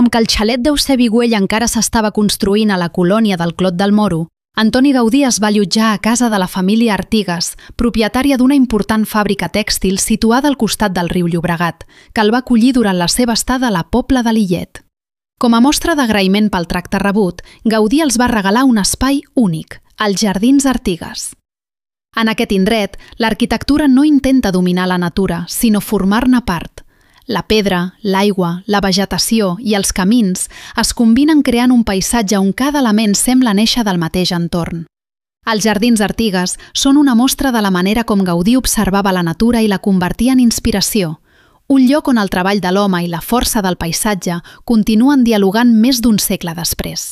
Com que el xalet d'Eusebi Güell encara s'estava construint a la colònia del Clot del Moro, Antoni Gaudí es va allotjar a casa de la família Artigas, propietària d'una important fàbrica tèxtil situada al costat del riu Llobregat, que el va acollir durant la seva estada a la Pobla de Lillet. Com a mostra d'agraïment pel tracte rebut, Gaudí els va regalar un espai únic, els Jardins Artigas. En aquest indret, l'arquitectura no intenta dominar la natura, sinó formar-ne part. La pedra, l'aigua, la vegetació i els camins es combinen creant un paisatge on cada element sembla néixer del mateix entorn. Els Jardins Artigas són una mostra de la manera com Gaudí observava la natura i la convertia en inspiració, un lloc on el treball de l'home i la força del paisatge continuen dialogant més d'un segle després.